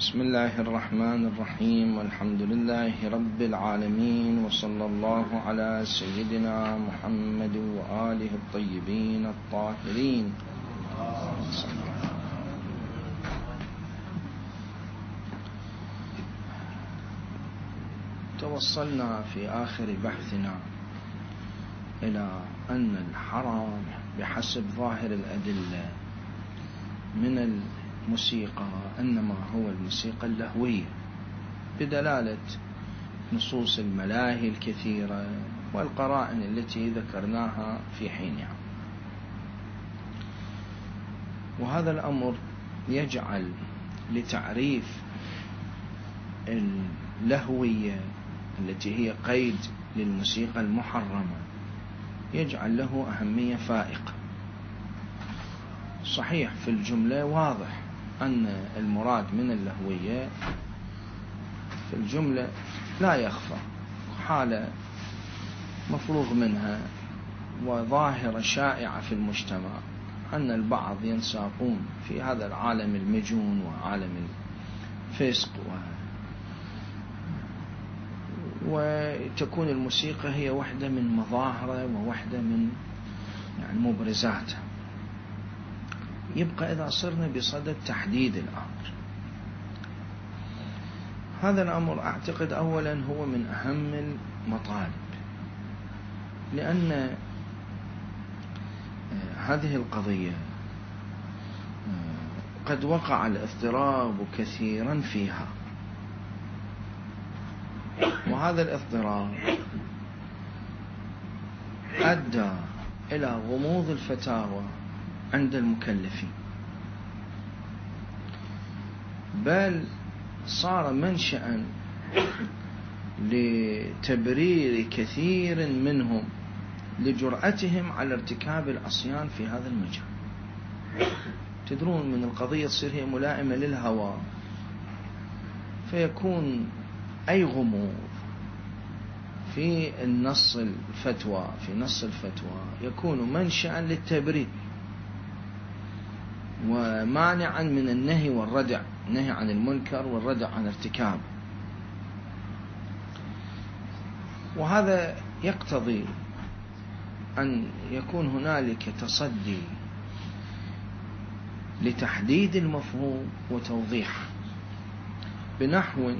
بسم الله الرحمن الرحيم، والحمد لله رب العالمين، وصلى الله على سيدنا محمد وآله الطيبين الطاهرين. توصلنا في آخر بحثنا إلى أن الحرام بحسب ظاهر الأدلة من الموسيقى إنما هو الموسيقى اللهوية، بدلالة نصوص الملاهي الكثيرة والقرائن التي ذكرناها في حينها. وهذا الأمر يجعل لتعريف اللهوية التي هي قيد للموسيقى المحرمة يجعل له أهمية فائقة. صحيح في الجملة واضح أن المراد من اللهوية في الجملة لا يخفى، حالة مفروغ منها وظاهرة شائعة في المجتمع، أن البعض ينساقون في هذا العالم المجون وعالم الفسق وتكون الموسيقى هي واحدة من مظاهره وواحدة من مبرزاتها. يبقى إذا صرنا بصدد تحديد الأمر، هذا الأمر أعتقد أولا هو من أهم المطالب، لأن هذه القضية قد وقع الاضطراب كثيرا فيها، وهذا الاضطراب أدى إلى غموض الفتاوى عند المكلفين، بل صار منشأ لتبرير كثير منهم لجرأتهم على ارتكاب العصيان في هذا المجال. تدرون من القضية تصير هي ملائمة للهوى، فيكون أي غموض في نص الفتوى يكون منشأ للتبرير ومانعا من النهي والردع، النهي عن المنكر والردع عن ارتكابه. وهذا يقتضي أن يكون هنالك تصدي لتحديد المفهوم وتوضيحه بنحو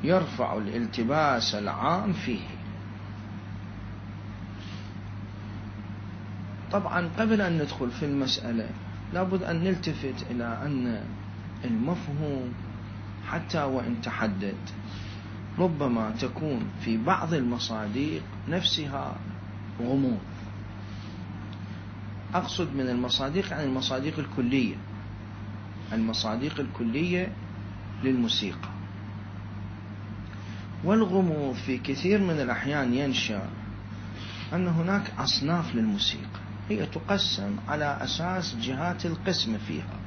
يرفع الالتباس العام فيه. طبعا قبل أن ندخل في المسألة لابد أن نلتفت إلى أن المفهوم حتى وإن تحدد ربما تكون في بعض المصادق نفسها غموض. أقصد من المصادق عن المصادق الكلية، المصادق الكلية للموسيقى. والغموض في كثير من الأحيان ينشأ أن هناك أصناف للموسيقى هي تقسم على أساس جهات القسم فيها.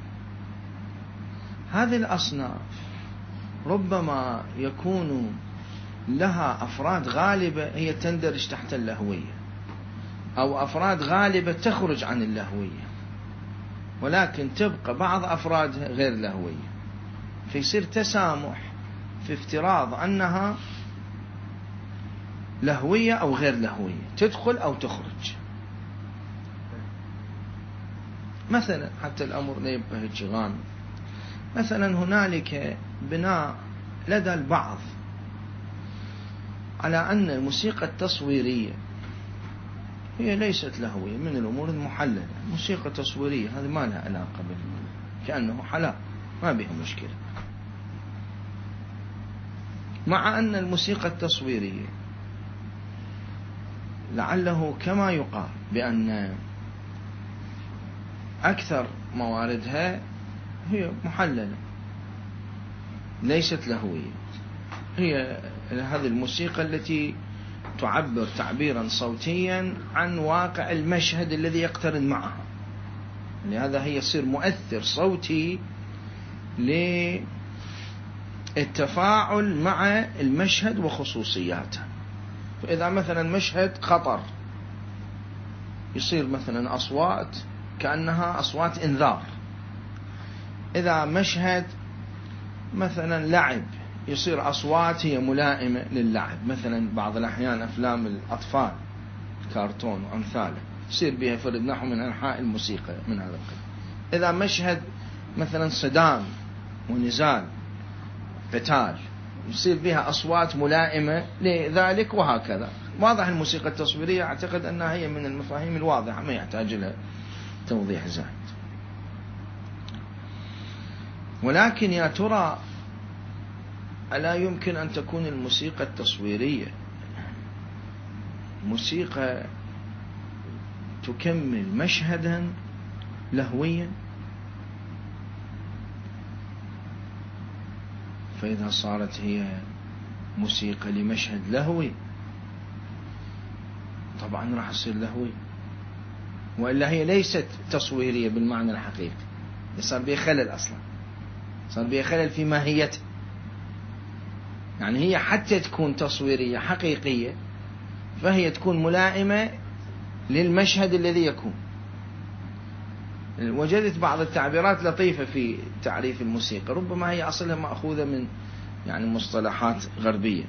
هذه الأصناف ربما يكون لها أفراد غالبة هي تندرج تحت اللهوية، أو أفراد غالبة تخرج عن اللهوية، ولكن تبقى بعض أفرادها غير لهوية، فيصير تسامح في افتراض أنها لهوية أو غير لهوية، تدخل أو تخرج. مثلا حتى الأمر لا يبقى هجغان، مثلا هنالك بناء لدى البعض على أن الموسيقى التصويرية هي ليست لهوية، من الأمور المحللة، موسيقى تصويرية هذه ما لها علاقة كأنه حلال، ما بها مشكلة. مع أن الموسيقى التصويرية لعله كما يقال بأن أكثر مواردها هي محللة ليست لهوية، هي هذه الموسيقى التي تعبر تعبيرا صوتيا عن واقع المشهد الذي يقترن معها، لهذا هي يصير مؤثر صوتي للتفاعل مع المشهد وخصوصياته. فإذا مثلا مشهد خطر يصير مثلا أصوات كأنها أصوات إنذار، إذا مشهد مثلا لعب يصير أصوات هي ملائمة للعب، مثلا بعض الأحيان أفلام الأطفال كارتون وأمثاله يصير بها فرد نحو من أنحاء الموسيقى من هذا القبيل. إذا مشهد مثلا صدام ونزال قتال يصير بها أصوات ملائمة لذلك وهكذا. واضح الموسيقى التصويرية أعتقد أنها هي من المفاهيم الواضحة ما يحتاج لها توضيح زائد. ولكن يا ترى ألا يمكن أن تكون الموسيقى التصويرية موسيقى تكمل مشهدا لهويا؟ فإذا صارت هي موسيقى لمشهد لهوي طبعا راح تصير لهوي، وإلا هي ليست تصويرية بالمعنى الحقيقي، صار بها خلل أصلا، صار بها خلل في ماهيتها. يعني هي حتى تكون تصويرية حقيقية فهي تكون ملائمة للمشهد الذي يكون. وجدت بعض التعبيرات لطيفة في تعريف الموسيقى، ربما هي أصلها مأخوذة من يعني مصطلحات غربية.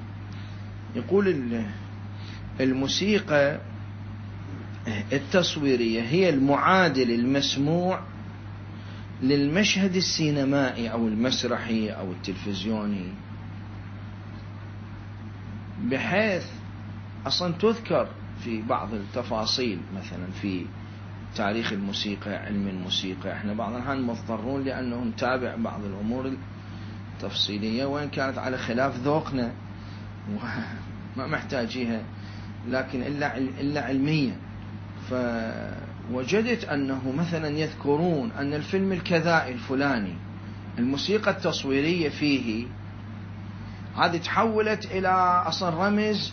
يقول الموسيقى التصويرية هي المعادل المسموع للمشهد السينمائي أو المسرحي أو التلفزيوني، بحيث أصلا تذكر في بعض التفاصيل مثلا في تاريخ الموسيقى، علم الموسيقى. احنا بعض الأحيان مضطرون لأنه نتابع بعض الأمور التفصيلية وإن كانت على خلاف ذوقنا وما محتاجيها لكن إلا علميا. فوجدت أنه مثلا يذكرون أن الفيلم الكذائي الفلاني الموسيقى التصويرية فيه هذه تحولت إلى أصلا رمز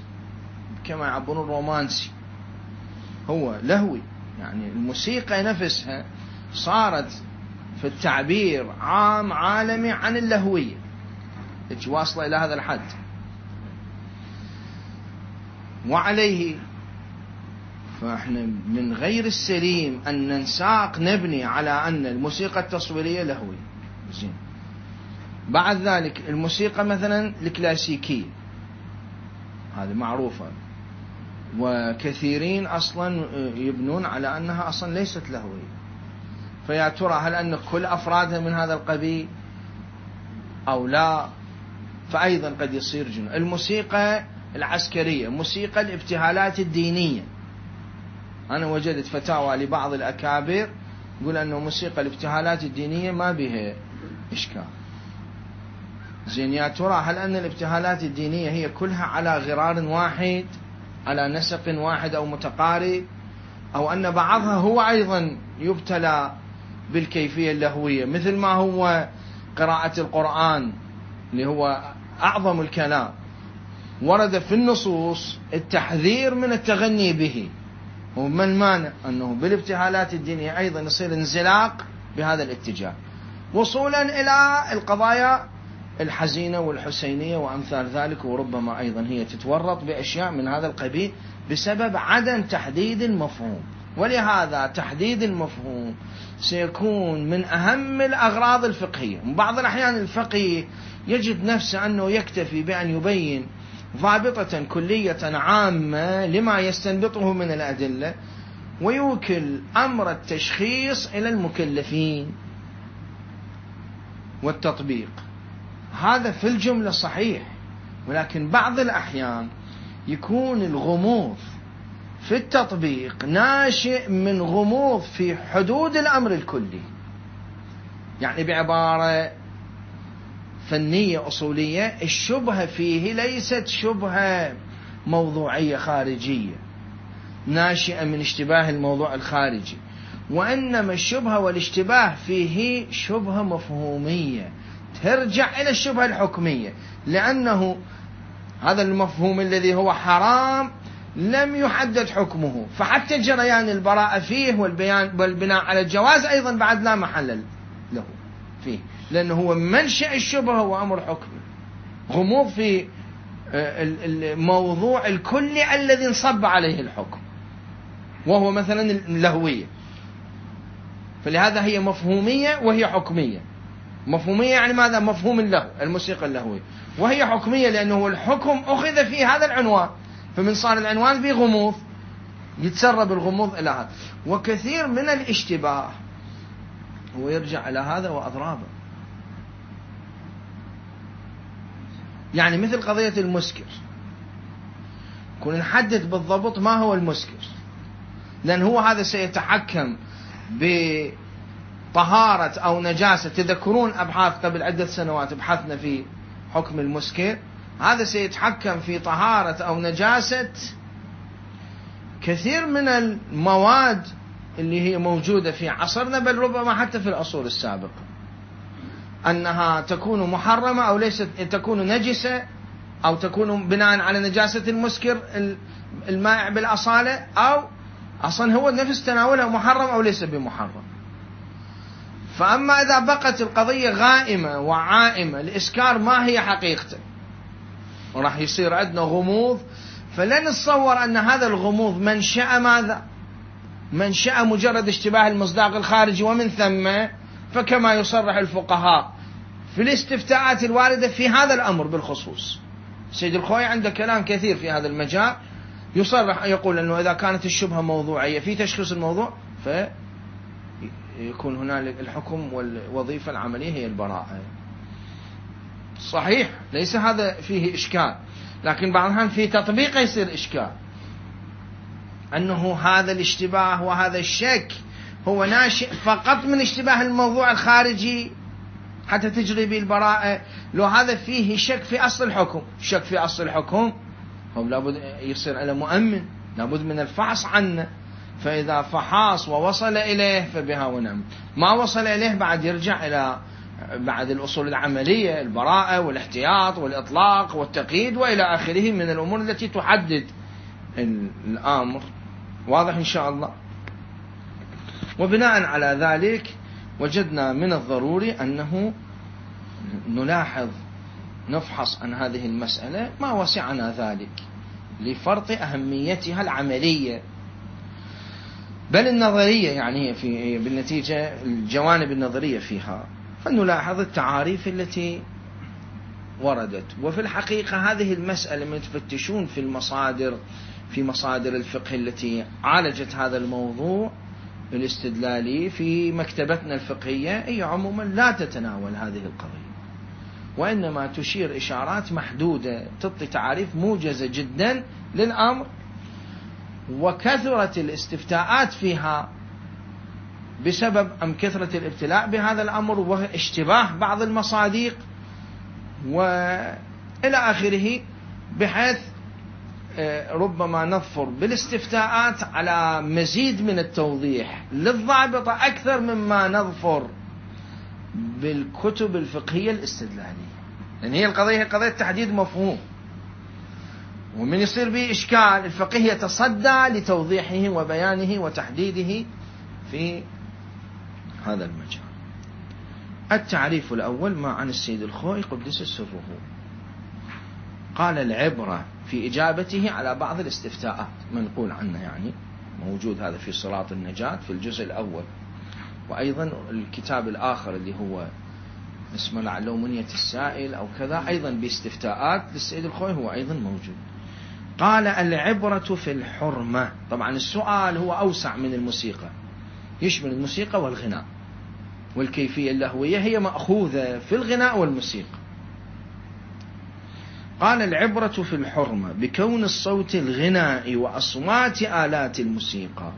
كما يعبرون رومانسي، هو لهوي. يعني الموسيقى نفسها صارت في التعبير عام عالمي عن اللهوية، واصلة إلى هذا الحد. وعليه فإحنا من غير السليم أن ننساق نبني على أن الموسيقى التصويرية لهوية. زين. بعد ذلك الموسيقى مثلا الكلاسيكية هذه معروفة، وكثيرين أصلا يبنون على أنها أصلا ليست لهوية. فيا ترى هل أن كل أفرادها من هذا القبيل أو لا؟ فأيضا قد يصير جنون. الموسيقى العسكرية، موسيقى الابتهالات الدينية، أنا وجدت فتاوى لبعض الأكابر يقول أنه موسيقى الابتهالات الدينية ما بها إشكال. زين، يا ترى هل أن الابتهالات الدينية هي كلها على غرار واحد، على نسق واحد أو متقارب، أو أن بعضها هو أيضا يبتلى بالكيفية اللهوية، مثل ما هو قراءة القرآن اللي هو أعظم الكلام ورد في النصوص التحذير من التغني به، وما المانع أنه بالابتهالات الدينية أيضا يصير انزلاق بهذا الاتجاه وصولا إلى القضايا الحزينة والحسينية وأمثال ذلك. وربما أيضا هي تتورط بأشياء من هذا القبيل بسبب عدم تحديد المفهوم. ولهذا تحديد المفهوم سيكون من أهم الأغراض الفقهية. بعض الأحيان الفقيه يجد نفسه أنه يكتفي بأن يبين ضابطة كلية عامة لما يستنبطه من الأدلة ويوكل أمر التشخيص إلى المكلفين والتطبيق. هذا في الجملة صحيح، ولكن بعض الأحيان يكون الغموض في التطبيق ناشئ من غموض في حدود الأمر الكلي. يعني بعبارة فنية أصولية، الشبهة فيه ليست شبهة موضوعية خارجية ناشئة من اشتباه الموضوع الخارجي، وإنما الشبهة والاشتباه فيه شبهة مفهومية ترجع إلى الشبهة الحكمية، لأنه هذا المفهوم الذي هو حرام لم يحدد حكمه، فحتى جريان البراءة فيه والبناء على الجواز أيضا بعد لا محل له فيه، لأنه هو منشأ الشبهة وأمر حكمي. غموض في الموضوع الكلي الذي انصب عليه الحكم وهو مثلا اللهوية، فلهذا هي مفهومية وهي حكمية. مفهومية يعني ماذا؟ مفهوم اللهو، الموسيقى اللهوية. وهي حكمية لأنه الحكم أخذ في هذا العنوان، فمن صار العنوان فيه غموض يتسرب الغموض إلى هذا. وكثير من الاشتباه ويرجع إلى هذا وأضرابه. يعني مثل قضية المسكر، كنا نحدد بالضبط ما هو المسكر، لأن هو هذا سيتحكم بطهارة أو نجاسة. تذكرون أبحاث قبل عدة سنوات بحثنا في حكم المسكر، هذا سيتحكم في طهارة أو نجاسة كثير من المواد اللي هي موجودة في عصرنا، بل ربما حتى في العصور السابقة، أنها تكون محرمة أو ليست، تكون نجسة أو تكون بناء على نجاسة المسكر المائع بالأصالة، أو أصلا هو نفس تناوله محرم أو ليس بمحرم. فأما إذا بقت القضية غائمة وعائمة، الإسكار ما هي حقيقته، وراح يصير عندنا غموض. فلن نتصور أن هذا الغموض منشأ ماذا؟ منشأ مجرد اشتباه المصداق الخارجي، ومن ثم فكما يصرح الفقهاء في الاستفتاءات الواردة في هذا الأمر بالخصوص. سيد الخوي عنده كلام كثير في هذا المجال، يصرح يقول أنه إذا كانت الشبهة موضوعية في تشخيص الموضوع، فيكون هنالك الحكم والوظيفة العملية هي البراءة. صحيح ليس هذا فيه إشكال، لكن بعضها في تطبيقه يصير إشكال، أنه هذا الاشتباه وهذا الشك هو ناشئ فقط من اشتباه الموضوع الخارجي حتى تجري به البراءة. لو هذا فيه شك في أصل الحكم، شك في أصل الحكم هو لابد يصير على مؤمن، لابد من الفحص عنه. فإذا فحص ووصل إليه فبها ونعم، ما وصل إليه بعد يرجع إلى بعد الأصول العملية، البراءة والاحتياط والإطلاق والتقييد وإلى آخره من الأمور التي تحدد الأمر. واضح إن شاء الله. وبناء على ذلك وجدنا من الضروري أنه نلاحظ نفحص عن هذه المسألة ما وسعنا ذلك لفرط أهميتها العملية بل النظرية، يعني في بالنتيجة الجوانب النظرية فيها، فنلاحظ التعاريف التي وردت. وفي الحقيقة هذه المسألة من تفتشون في مصادر الفقه التي عالجت هذا الموضوع الاستدلالي في مكتبتنا الفقهية، هي عموما لا تتناول هذه القضية، وإنما تشير إشارات محدودة، تعطي تعريف موجزة جدا للأمر. وكثرة الاستفتاءات فيها بسبب كثرة الابتلاء بهذا الأمر واشتباه بعض المصادق وإلى آخره، بحيث ربما نظفر بالاستفتاءات على مزيد من التوضيح للضابطة أكثر مما نظفر بالكتب الفقهية الاستدلالية، لأن هي القضية قضية تحديد مفهوم، ومن يصير به إشكال الفقيه يتصدى لتوضيحه وبيانه وتحديده في هذا المجال. التعريف الأول ما عن السيد الخوئي قدس سره، قال العبرة في إجابته على بعض الاستفتاءات منقول عنه، يعني موجود هذا في صراط النجاة في الجزء الأول، وأيضا الكتاب الآخر اللي هو اسمه لعله منية السائل أو كذا، أيضا باستفتاءات للسيد الخوئي هو أيضا موجود. قال العبرة في الحرمة، طبعا السؤال هو أوسع من الموسيقى، يشمل الموسيقى والغناء، والكيفية اللهوية هي مأخوذة في الغناء والموسيقى. قال العبرة في الحرمة بكون الصوت الغناء وأصوات آلات الموسيقى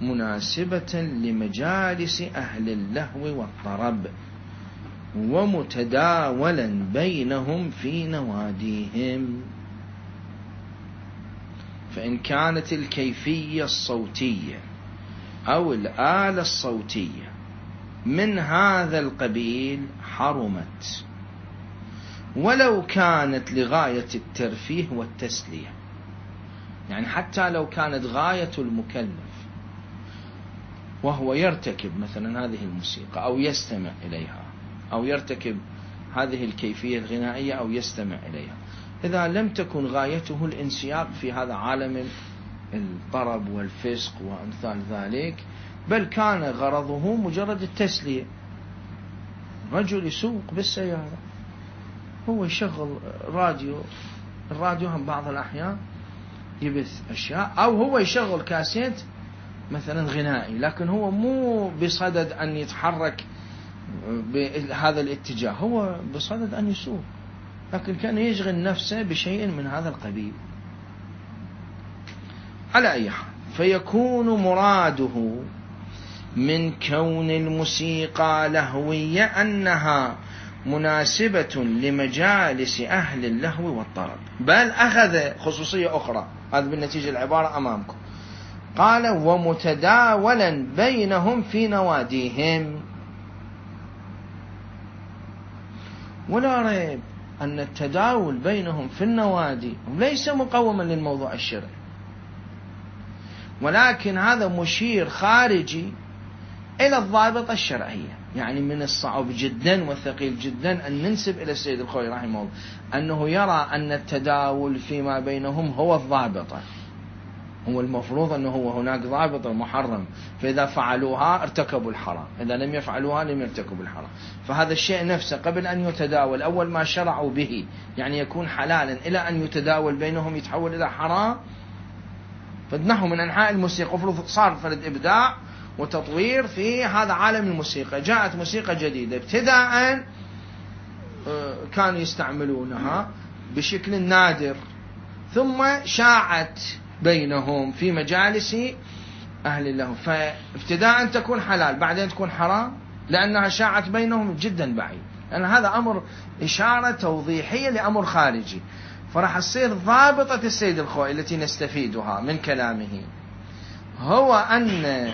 مناسبة لمجالس أهل اللهو والطرب ومتداولا بينهم في نواديهم، فإن كانت الكيفية الصوتية أو الآلة الصوتية من هذا القبيل حرمت، ولو كانت لغاية الترفيه والتسلية، يعني حتى لو كانت غاية المكلف وهو يرتكب مثلا هذه الموسيقى أو يستمع إليها أو يرتكب هذه الكيفية الغنائية أو يستمع إليها، إذا لم تكن غايته الانسياق في هذا عالم الطرب والفسق وأمثال ذلك، بل كان غرضه مجرد التسلية، رجل يسوق بالسيارة، هو يشغل راديو، الراديو هم بعض الأحيان يبث أشياء، أو هو يشغل كاسيت مثلا غنائي، لكن هو مو بصدد أن يتحرك بهذا الاتجاه، هو بصدد أن يسوق، لكن كان يشغل نفسه بشيء من هذا القبيل. على أي حال، فيكون مراده من كون الموسيقى لهوية أنها مناسبة لمجالس أهل اللهو والطرب، بل أخذ خصوصية أخرى، هذا بالنتيجة العبارة أمامكم، قال ومتداولا بينهم في نواديهم. ولا ريب أن التداول بينهم في النوادي ليس مقوما للموضوع الشرعي، ولكن هذا مشير خارجي إلى الضابطة الشرعية. يعني من الصعب جدا وثقيل جدا أن ننسب إلى السيد الخوئي رحمه الله أنه يرى أن التداول فيما بينهم هو الضابطة، هو المفروض أنه هو هناك ضابطة محرم، فإذا فعلوها ارتكبوا الحرام، إذا لم يفعلوها لم يرتكبوا الحرام. فهذا الشيء نفسه قبل أن يتداول، أول ما شرعوا به يعني يكون حلالا، إلى أن يتداول بينهم يتحول إلى حرام. فنحو من أنحاء الموسيقى صار فرد إبداع وتطوير في هذا عالم الموسيقى، جاءت موسيقى جديدة ابتداء كانوا يستعملونها بشكل نادر، ثم شاعت بينهم في مجالس أهل الله، فابتداء تكون حلال بعدين تكون حرام لأنها شاعت بينهم جدا بعيد، لأن هذا أمر إشارة توضيحية لأمر خارجي. فراح تصير ضابطة السيد الخوئي التي نستفيدها من كلامه هو أن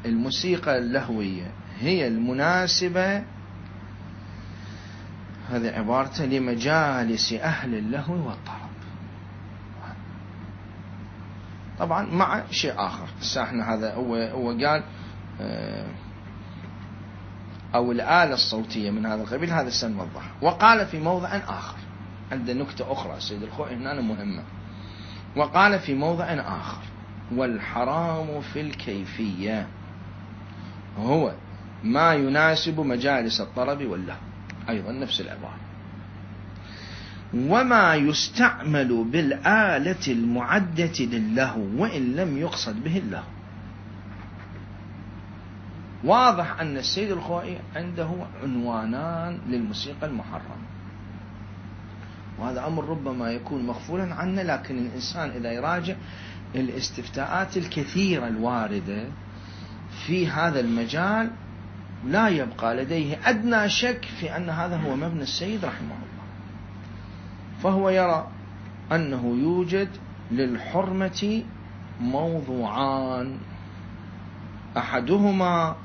الموسيقى اللهوية هي المناسبة، هذه عبارته، لمجالس أهل اللهو والطرب. طبعا مع شيء آخر، احنا هذا هو قال أو الآلة الصوتية من هذا القبيل، هذا سنوضح. وقال في موضع آخر، عند نكتة أخرى السيد الخوئي هنا مهمة، وقال في موضع آخر والحرام في الكيفية هو ما يناسب مجالس الطرب واللهو، أيضا نفس العبارة، وما يستعمل بالآلة المعدة للهو وإن لم يقصد به اللهو. واضح أن السيد الخوئي عنده عنوانان للموسيقى المحرمة، وهذا أمر ربما يكون مغفولا عنه، لكن الإنسان إذا يراجع الاستفتاءات الكثيرة الواردة في هذا المجال لا يبقى لديه أدنى شك في أن هذا هو مبنى السيد رحمه الله. فهو يرى أنه يوجد للحرمة موضوعان، أحدهما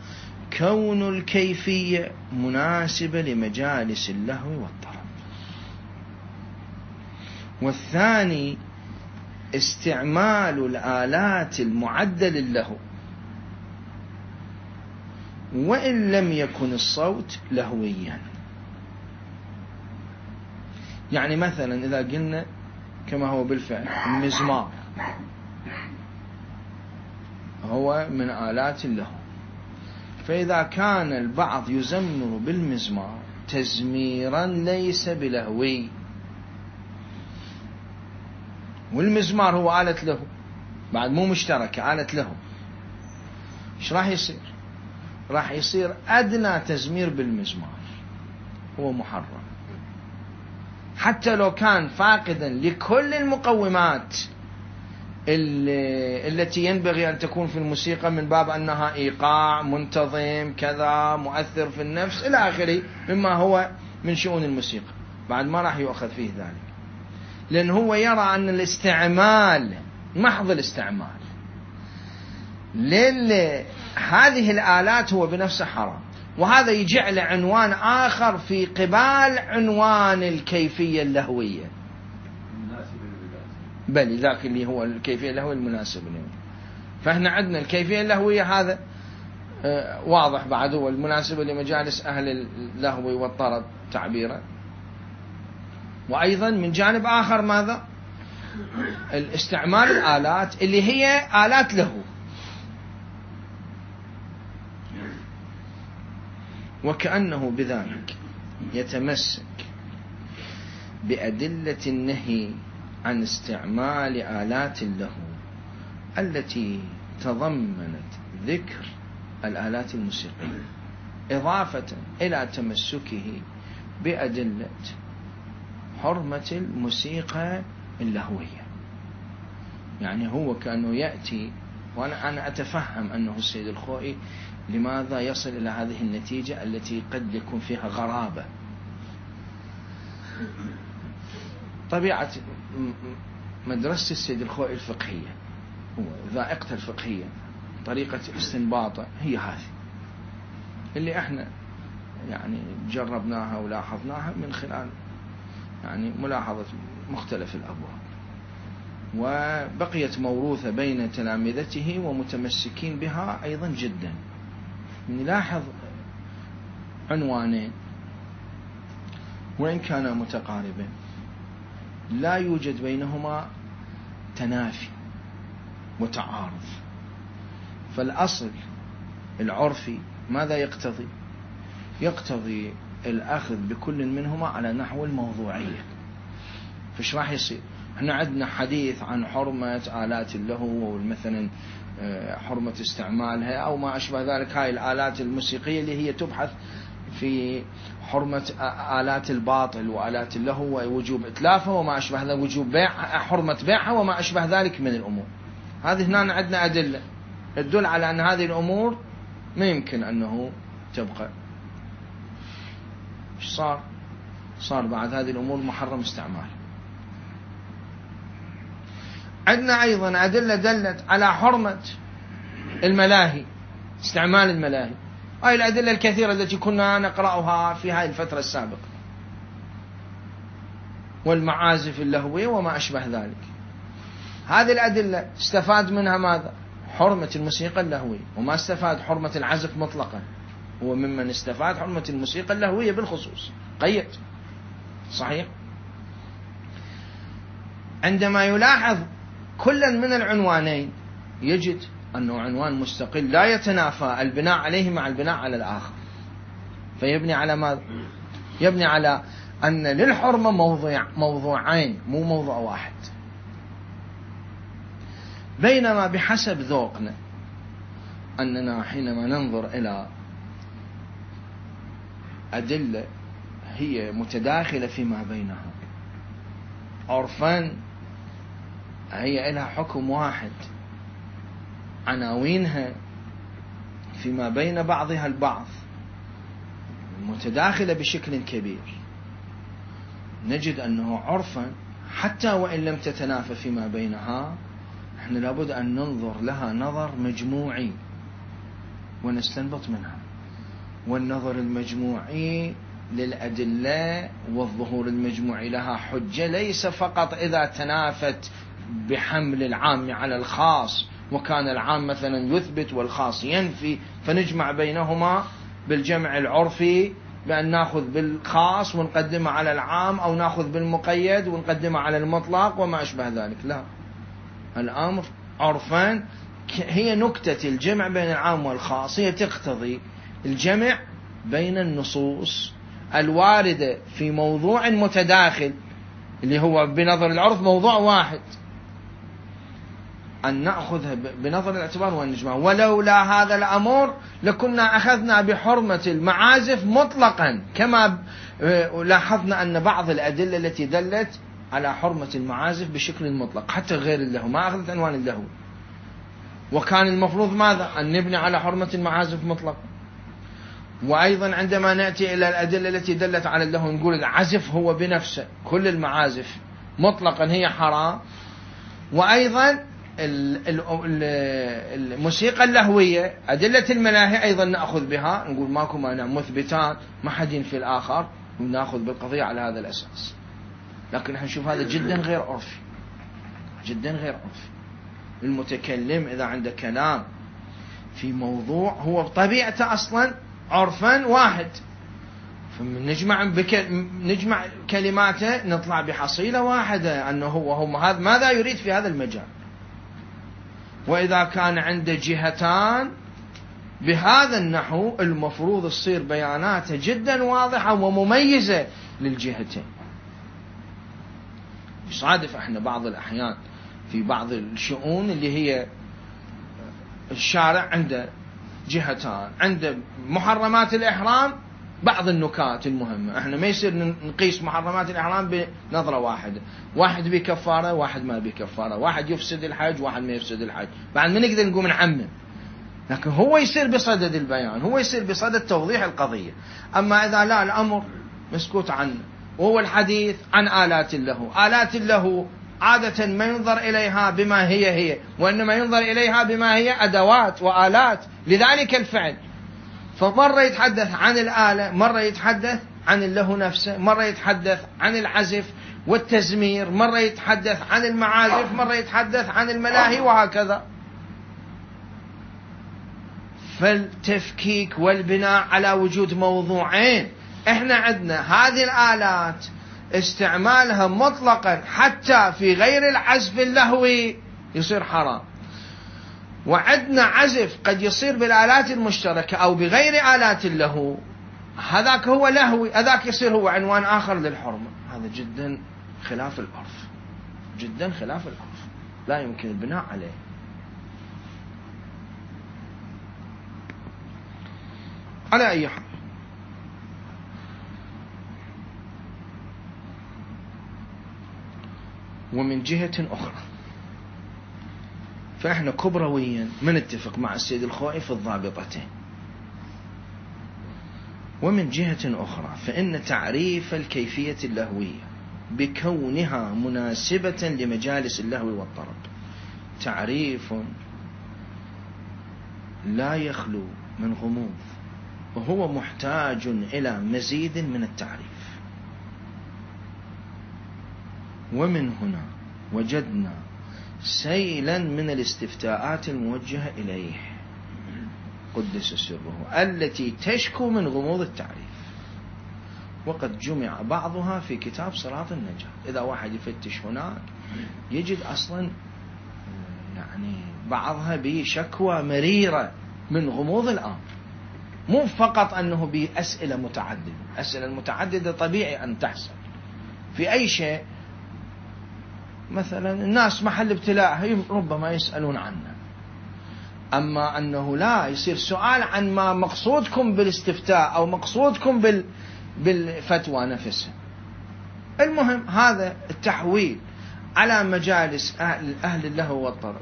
كون الكيفية مناسبة لمجالس اللهو والطرب، والثاني استعمال الآلات المعدة للهو وإن لم يكن الصوت لهويا. يعني مثلا إذا قلنا كما هو بالفعل المزمار هو من آلات اللهو، فإذا كان البعض يزمر بالمزمار تزميرا ليس بلهوي، والمزمار هو آلة له بعد مو مشتركة، آلة له، ايش راح يصير؟ راح يصير أدنى تزمير بالمزمار هو محرم، حتى لو كان فاقدا لكل المقومات التي ينبغي أن تكون في الموسيقى من باب أنها إيقاع منتظم كذا مؤثر في النفس إلى آخره مما هو من شؤون الموسيقى، بعد ما راح يؤخذ فيه ذلك، لأن هو يرى أن الاستعمال محض الاستعمال هذه الآلات هو بنفسه حرام، وهذا يجعل عنوان آخر في قبال عنوان الكيفية اللهوية، بل ذاك اللي هو الكيفية اللهوية المناسب له. فإحنا عندنا الكيفية اللهوية هذا واضح بعد هو المناسبة لمجالس أهل اللهو والطرب تعبيرا، وأيضا من جانب آخر ماذا؟ الاستعمال الآلات اللي هي آلات له. وكأنه بذلك يتمسك بأدلة النهي عن استعمال آلات اللهو التي تضمنت ذكر الآلات الموسيقية، إضافة إلى تمسكه بأدلة حرمة الموسيقى اللهوية. يعني هو كأنه يأتي، وأنا أتفهم أنه السيد الخوئي لماذا يصل إلى هذه النتيجة التي قد يكون فيها غرابة. طبيعة مدرسة السيد الخوئي الفقهية وذائقته الفقهية، طريقة استنباطه هي هذه اللي احنا يعني جربناها ولاحظناها من خلال يعني ملاحظة مختلف الأبواب، وبقيت موروثة بين تلامذته ومتمسكين بها أيضا جدا. نلاحظ عنوانين وإن كانا متقاربين لا يوجد بينهما تنافي وتعارض. فالأصل العرفي ماذا يقتضي؟ يقتضي الأخذ بكل منهما على نحو الموضوعية. فش راح يصير؟ احنا عندنا حديث عن حرمة آلات اللهو ومثلا حرمة استعمالها أو ما أشبه ذلك، هاي الآلات الموسيقية اللي هي تبحث في حرمة آلات الباطل وآلات اللهو ووجوب إتلافها وما أشبه ذلك، وجوب بيع، حرمة بيعها وما أشبه ذلك من الأمور. هذه هنا عندنا أدلة تدل على أن هذه الأمور ما يمكن أنه تبقى. إيش صار بعد هذه الأمور محرم استعمال. عندنا أيضا أدلة دلت على حرمة الملاهي، استعمال الملاهي. هاي الأدلة الكثيرة التي كنا نقرأها في هذه الفترة السابقة، والمعازف اللهوية وما أشبه ذلك. هذه الأدلة استفاد منها ماذا؟ حرمة الموسيقى اللهوية، وما استفاد حرمة العزف مطلقا. هو ممن استفاد حرمة الموسيقى اللهوية بالخصوص، قيد صحيح. عندما يلاحظ كلا من العنوانين يجد أنه عنوان مستقل لا يتنافى البناء عليه مع البناء على الآخر. فيبني على ماذا؟ يبني على أن للحرمة موضوعين مو موضوع واحد. بينما بحسب ذوقنا أننا حينما ننظر إلى أدلة هي متداخلة فيما بينها عرفان، هي لها حكم واحد، عناوينها فيما بين بعضها البعض متداخلة بشكل كبير، نجد أنه عرفا حتى وإن لم تتنافى فيما بينها احنا لابد أن ننظر لها نظر مجموعي ونستنبط منها. والنظر المجموعي للأدلة والظهور المجموعي لها حجة ليس فقط إذا تنافت بحمل العام على الخاص، وكان العام مثلا يثبت والخاص ينفي، فنجمع بينهما بالجمع العرفي بأن نأخذ بالخاص ونقدمه على العام، أو نأخذ بالمقيد ونقدمه على المطلق وما أشبه ذلك. لا، الأمر عرفان هي نكتة الجمع بين العام والخاص، هي تقتضي الجمع بين النصوص الواردة في موضوع متداخل اللي هو بنظر العرف موضوع واحد، أن نأخذها بنظر الاعتبار ونجمع. ولولا هذا الأمر لكنا أخذنا بحرمة المعازف مطلقا، كما لاحظنا أن بعض الأدلة التي دلت على حرمة المعازف بشكل مطلق حتى غير اللهو ما أخذت عنوان اللهو. وكان المفروض ماذا؟ أن نبني على حرمة المعازف مطلقا. وأيضا عندما نأتي إلى الأدلة التي دلت على اللهو نقول العزف هو بنفسه، كل المعازف مطلقا هي حرام. وأيضا الموسيقى اللهوية أدلة الملاهي أيضا نأخذ بها، نقول ماكو مانع مثبتان ما حد ينفي الآخر، ونأخذ بالقضية على هذا الأساس. لكن نحن نشوف هذا جدا غير عرفي، جدا غير عرفي. المتكلم إذا عنده كلام في موضوع هو بطبيعته أصلا عرفا واحد، نجمع كلماته نطلع بحصيلة واحدة أنه هو هذا ماذا يريد في هذا المجال. وإذا كان عنده جهتان بهذا النحو المفروض تصير بياناته جدا واضحة ومميزة للجهتين. يصادف احنا بعض الأحيان في بعض الشؤون اللي هي الشارع عنده جهتان، عنده محرمات الإحرام بعض النكات المهمة، احنا ما يصير نقيس محرمات الإحرام بنظرة واحدة، واحد بكفارة واحد ما بكفارة، واحد يفسد الحج واحد ما يفسد الحج، بعد ما نقدر نقوم نعمم. لكن هو يصير بصدد البيان، هو يصير بصدد توضيح القضية. أما إذا لا، الأمر مسكوت عنه، وهو الحديث عن آلات اللهو. آلات اللهو عادة ما ينظر إليها بما هي، وإنما ينظر إليها بما هي أدوات وآلات لذلك الفعل. فمرة يتحدث عن الآلة، مرة يتحدث عن اللهو نفسه، مرة يتحدث عن العزف والتزمير، مرة يتحدث عن المعازف، مرة يتحدث عن الملاهي، وهكذا. فالتفكيك والبناء على وجود موضوعين. احنا عندنا هذه الآلات استعمالها مطلقا حتى في غير العزف اللهوي يصير حرام، وعندنا عزف قد يصير بالآلات المشتركة أو بغير آلات اللهو، هذاك هو لهوي، هذاك يصير هو عنوان آخر للحرمة. هذا جدا خلاف العرف، جدا خلاف العرف، لا يمكن البناء عليه. على أي حال، ومن جهة أخرى فإحنا كبرويا ما نتفق مع السيد الخوئي في الضابطتين. ومن جهة أخرى فإن تعريف الكيفية اللهوية بكونها مناسبة لمجالس اللهو والطرب تعريف لا يخلو من غموض، وهو محتاج إلى مزيد من التعريف. ومن هنا وجدنا سيلا من الاستفتاءات الموجهة إليه قدس سره التي تشكو من غموض التعريف، وقد جمع بعضها في كتاب صراط النجاة. إذا واحد يفتش هناك يجد أصلا يعني بعضها بشكوى مريرة من غموض الأمر، مو فقط أنه بأسئلة متعددة. أسئلة المتعددة طبيعي أن تحصل في أي شيء. مثلا الناس محل ابتلاء ربما يسألون عنه، أما أنه لا يصير سؤال عن ما مقصودكم بالاستفتاء أو مقصودكم بالفتوى نفسها. المهم هذا التحويل على مجالس أهل اللهو والطرب،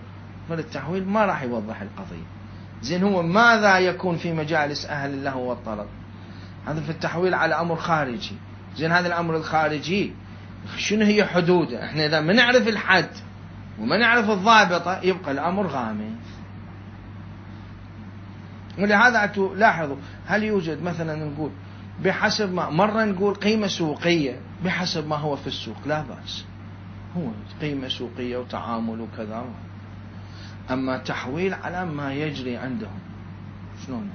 فالتحويل ما راح يوضح القضية. زين هو ماذا يكون في مجالس أهل اللهو والطرب؟ هذا في التحويل على أمر خارجي. زين هذا الأمر الخارجي شنو هي حدوده؟ احنا إذا ما نعرف الحد وما نعرف الضابطة يبقى الأمر غامض. ولهذا لاحظوا هل يوجد مثلا نقول بحسب ما مرة نقول قيمة سوقية بحسب ما هو في السوق، لا بأس، هو قيمة سوقية وتعامل وكذا. أما تحويل على ما يجري عندهم، شلون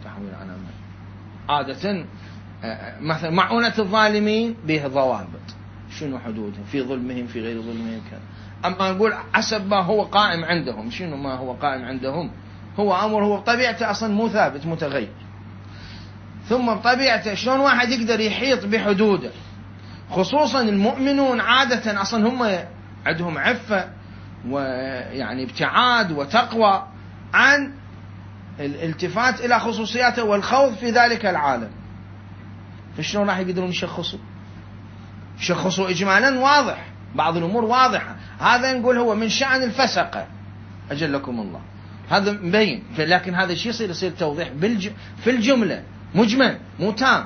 تحويل على ما عادة مثلا معونة الظالمين به ضوابط، شنو حدودهم في ظلمهم في غير ظلمهم كذا. أما نقول حسب ما هو قائم عندهم، شنو ما هو قائم عندهم؟ هو أمر هو بطبيعته أصلا مو ثابت، متغير. ثم بطبيعته شلون واحد يقدر يحيط بحدوده؟ خصوصا المؤمنون عادة أصلا هم عندهم عفة ويعني ابتعاد وتقوى عن الالتفات إلى خصوصياته والخوض في ذلك العالم. فشلون راح يقدرون يشخصوا إجمالا واضح بعض الأمور واضحة. هذا نقول هو من شأن الفسقة أجلكم الله، هذا مبين. لكن هذا الشيء يصير توضيح في الجملة مجمل مو تام،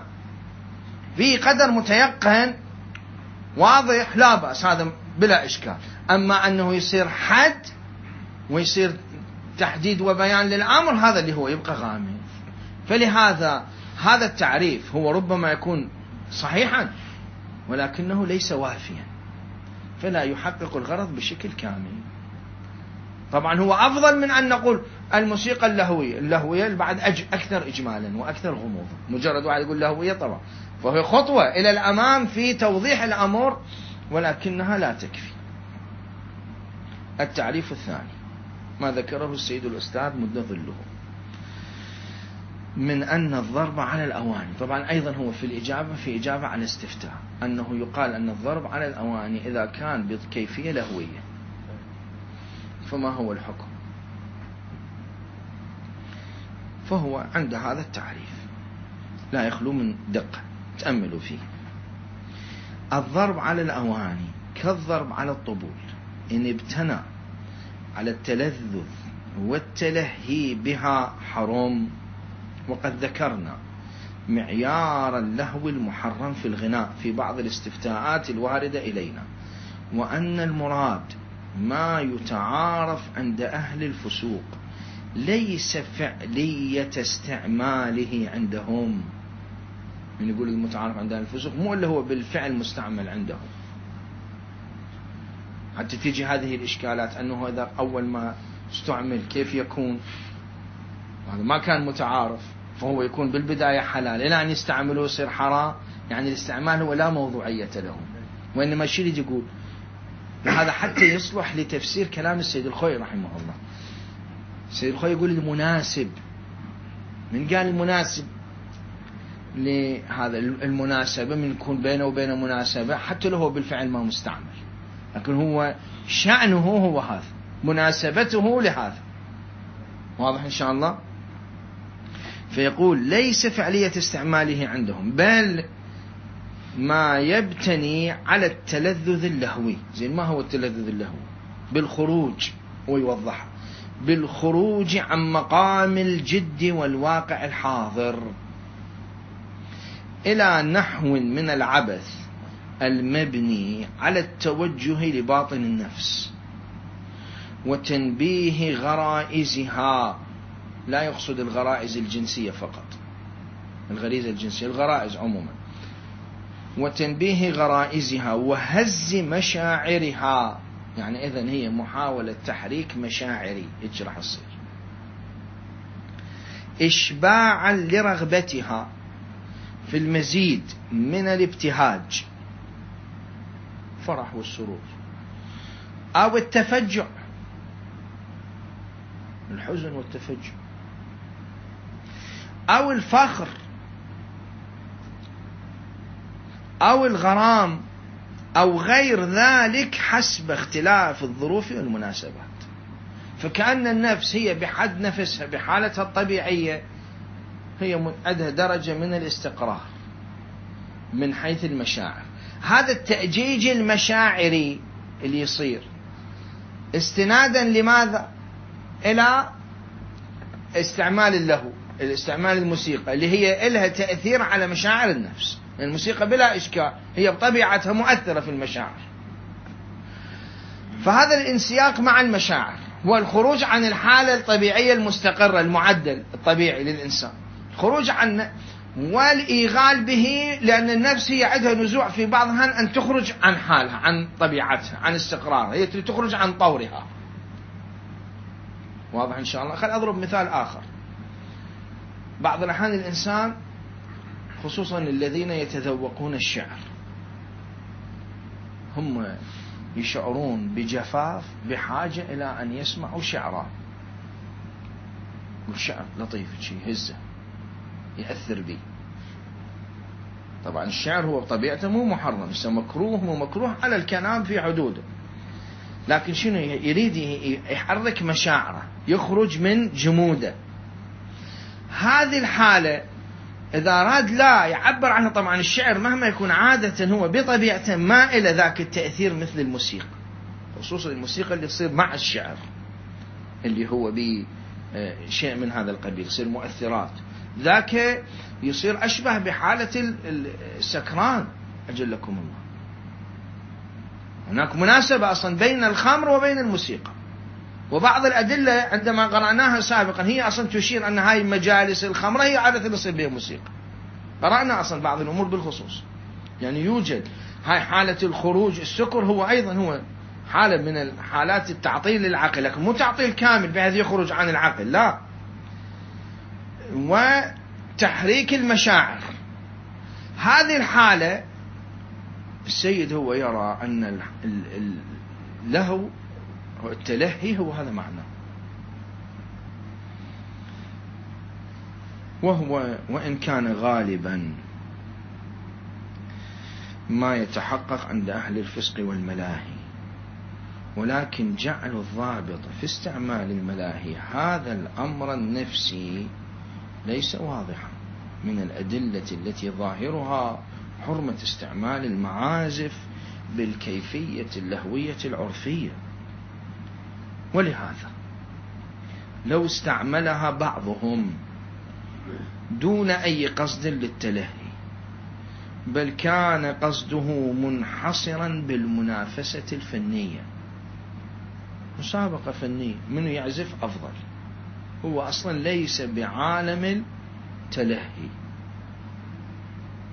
في قدر متيقن واضح لا بأس، هذا بلا إشكال. أما أنه يصير حد ويصير تحديد وبيان للأمر، هذا اللي هو يبقى غامض. فلهذا هذا التعريف هو ربما يكون صحيحا ولكنه ليس وافيا، فلا يحقق الغرض بشكل كامل. طبعا هو أفضل من أن نقول الموسيقى اللهوية بعد أكثر إجمالا وأكثر غموضا. مجرد واحد يقول لهوية طبعا فهي خطوة إلى الأمام في توضيح الأمر، ولكنها لا تكفي. التعريف الثاني ما ذكره السيد الأستاذ مد ظله، من أن الضرب على الأواني، طبعا أيضا هو في إجابة على استفتاء أنه يقال أن الضرب على الأواني إذا كان بكيفية لهوية، فما هو الحكم؟ فهو عند هذا التعريف لا يخلو من دقة، تأملوا فيه. الضرب على الأواني كالضرب على الطبول إن ابتنى على التلذذ والتلهي بها حرم. وقد ذكرنا معيار اللهو المحرم في الغناء في بعض الاستفتاءات الواردة إلينا، وأن المراد ما يتعارف عند أهل الفسوق ليس فعلية استعماله عندهم. من يقول المتعارف عند أهل الفسوق مو اللي هو بالفعل مستعمل عندهم، حتى تيجي هذه الإشكالات أنه إذا أول ما استعمل كيف يكون، هذا ما كان متعارف فهو يكون بالبداية حلال، إلى أن يستعملوه يصير حرام. يعني الاستعمال هو لا موضوعية له، وإنما الشيء اللي يقول هذا حتى يصلح لتفسير كلام السيد الخوي رحمه الله. السيد الخوي يقول المناسب، من قال المناسب لهذا المناسبة من يكون بينه وبين مناسبة حتى له بالفعل ما مستعمل، لكن هو شأنه هو هذا، مناسبته لهذا. واضح إن شاء الله؟ فيقول ليس فعلية استعماله عندهم، بل ما يبتني على التلذذ اللهوي. زين، ما هو التلذذ اللهوي؟ بالخروج، ويوضحها، بالخروج عن مقام الجد والواقع الحاضر إلى نحو من العبث المبني على التوجه لباطن النفس وتنبيه غرائزها. لا يقصد الغرائز الجنسية فقط، الغريزة الجنسية، الغرائز عموما. وتنبيه غرائزها وهز مشاعرها، يعني إذن هي محاولة تحريك مشاعري، إيش راح يصير؟ إشباعا لرغبتها في المزيد من الابتهاج، فرح والسرور، أو التفجع، الحزن والتفجع، أو الفخر، أو الغرام، أو غير ذلك حسب اختلاف الظروف والمناسبات. فكأن النفس هي بحد نفسها بحالتها الطبيعية هي عندها درجة من الاستقرار من حيث المشاعر. هذا التأجيج المشاعري اللي يصير استنادا لماذا؟ إلى استعمال اللهو، الاستعمال الموسيقى اللي هي لها تأثير على مشاعر النفس. الموسيقى بلا إشكال هي بطبيعتها مؤثرة في المشاعر. فهذا الانسياق مع المشاعر والخروج عن الحالة الطبيعية المستقرة المعدل الطبيعي للإنسان، الخروج عن والإيغال به، لأن النفس هي عندها نزوع في بعضها أن تخرج عن حالها، عن طبيعتها، عن استقرارها، هي تخرج عن طورها. واضح إن شاء الله؟ خل أضرب مثال آخر. بعض الأحيان الإنسان خصوصا الذين يتذوقون الشعر هم يشعرون بجفاف بحاجة إلى أن يسمعوا شعرا، والشعر لطيف شيء هزه يأثر به. طبعا الشعر هو بطبيعته مو محرم، مكروه، مو مكروه على الكلام في حدوده، لكن شنو يريد؟ يحرك مشاعره، يخرج من جموده. هذه الحالة إذا أراد لا يعبر عنها، طبعا الشعر مهما يكون عادة هو بطبيعته ما إلى ذاك التأثير مثل الموسيقى، خصوصا الموسيقى اللي تصير مع الشعر اللي هو بشيء من هذا القبيل، يصير مؤثرات، ذاك يصير أشبه بحالة السكران أجلكم الله. هناك مناسبة أصلا بين الخمر وبين الموسيقى، وبعض الأدلة عندما قرأناها سابقا هي أصلا تشير أن هاي مجالس الخمر هي عادة يصير بها موسيقى. قرأنا أصلا بعض الأمور بالخصوص، يعني يوجد هاي حالة الخروج. السكر هو أيضا هو حالة من الحالات التعطيل للعقل، لكن مو تعطيل كامل بحيث يخرج عن العقل، لا. وتحريك المشاعر، هذه الحالة السيد هو يرى أن اللهو التلهي هو هذا معناه. وهو وإن كان غالبا ما يتحقق عند أهل الفسق والملاهي، ولكن جعل الضابط في استعمال الملاهي هذا الأمر النفسي ليس واضحا من الأدلة التي ظاهرها حرمة استعمال المعازف بالكيفية اللهوية العرفية. ولهذا لو استعملها بعضهم دون أي قصد للتلهي، بل كان قصده منحصرا بالمنافسة الفنية، مسابقة فنية من يعزف أفضل، هو أصلا ليس بعالم التلهي،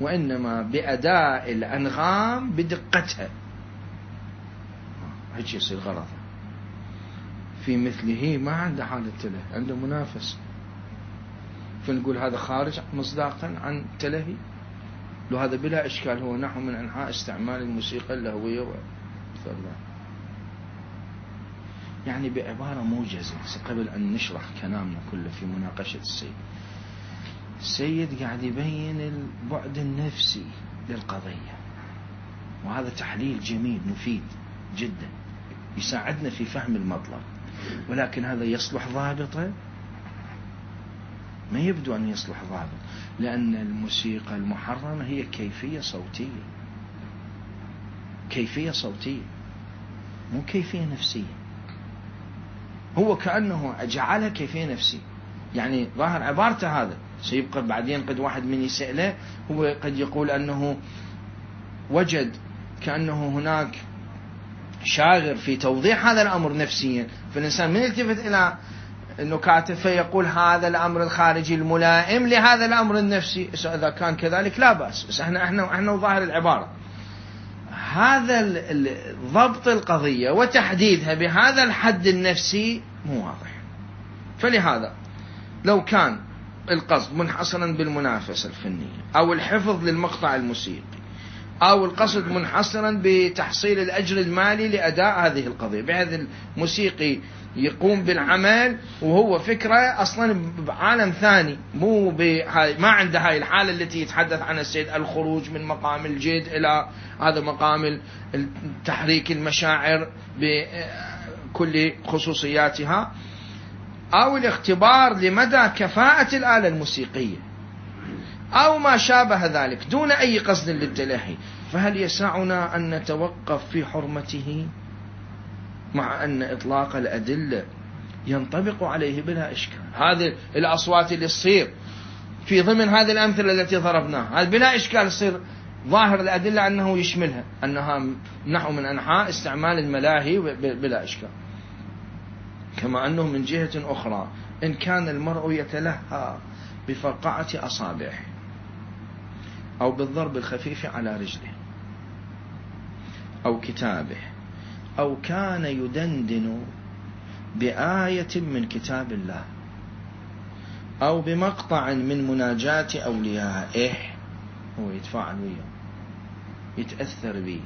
وإنما بأداء الأنغام بدقتها، هيك يصير غرضه. في مثله ما عنده حالة التلهي، عنده منافسة، فنقول هذا خارج مصداقا عن التلهي. لو هذا بلا إشكال هو نحو من أنحاء استعمال الموسيقى اللهوية يعني بعبارة موجزة قبل أن نشرح كلامنا كله في مناقشة السيد قاعد يبين البعد النفسي للقضية، وهذا تحليل جميل مفيد جدا يساعدنا في فهم المطلب، ولكن هذا يصلح ضابطه؟ ما يبدو أن يصلح ضابط، لأن الموسيقى المحرمة هي كيفية صوتية، كيفية صوتية مو كيفية نفسية. هو كأنه جعلها كيفية نفسية، يعني ظاهر عبارته هذا سيبقى بعدين قد واحد من يسأله هو قد يقول أنه وجد كأنه هناك شاغر في توضيح هذا الأمر نفسيا، فالإنسان من يلتفت إلى أنه كاتب فيقول هذا الأمر الخارجي الملائم لهذا الأمر النفسي. إذا كان كذلك لا بأس، بس احنا ظاهر العبارة هذا ضبط القضية وتحديدها بهذا الحد النفسي مو واضح. فلهذا لو كان القصد منحصرا بالمنافسة الفنية أو الحفظ للمقطع الموسيقي أو القصد منحصرا بتحصيل الأجر المالي لأداء هذه القضية، بهذا الموسيقي يقوم بالعمل وهو فكرة أصلا بعالم ثاني، ما عنده هاي الحالة التي يتحدث عنها السيد، الخروج من مقام الجد إلى هذا مقام تحريك المشاعر بكل خصوصياتها، أو الاختبار لمدى كفاءة الآلة الموسيقية أو ما شابه ذلك دون أي قصد للتلهي، فهل يسعنا أن نتوقف في حرمته مع أن إطلاق الأدلة ينطبق عليه بلا إشكال؟ هذه الأصوات اللي تصير في ضمن هذه الأمثلة التي ضربناها هذا بلا إشكال يصير ظاهر الأدلة أنه يشملها، أنها نحو من أنحاء استعمال الملاهي بلا إشكال. كما أنه من جهة أخرى إن كان المرء يتلهى بفرقعة أصابعه أو بالضرب الخفيف على رجله أو كتابه أو كان يدندن بآية من كتاب الله أو بمقطع من مناجاة أوليائه، هو يتفاعل وياه يتأثر به،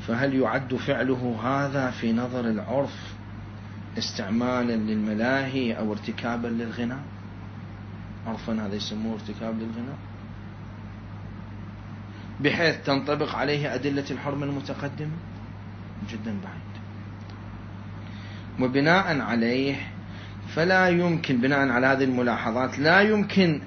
فهل يعد فعله هذا في نظر العرف استعمالا للملاهي أو ارتكابا للغناء؟ عرفا هذا يسموه ارتكاب للغناء، بحيث تنطبق عليه أدلة الحرمة المتقدمة؟ جدا بعيد. وبناء عليه فلا يمكن، بناء على هذه الملاحظات لا يمكن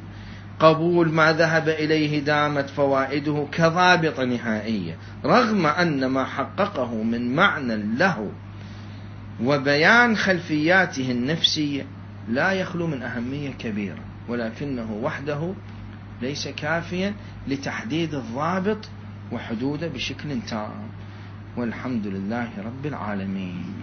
قبول ما ذهب إليه دامت فوائده كضابط نهائية، رغم أن ما حققه من معنى له وبيان خلفياته النفسية لا يخلو من أهمية كبيرة، ولكنه وحده ليس كافيا لتحديد الضابط وحدوده بشكل تام. والحمد لله رب العالمين.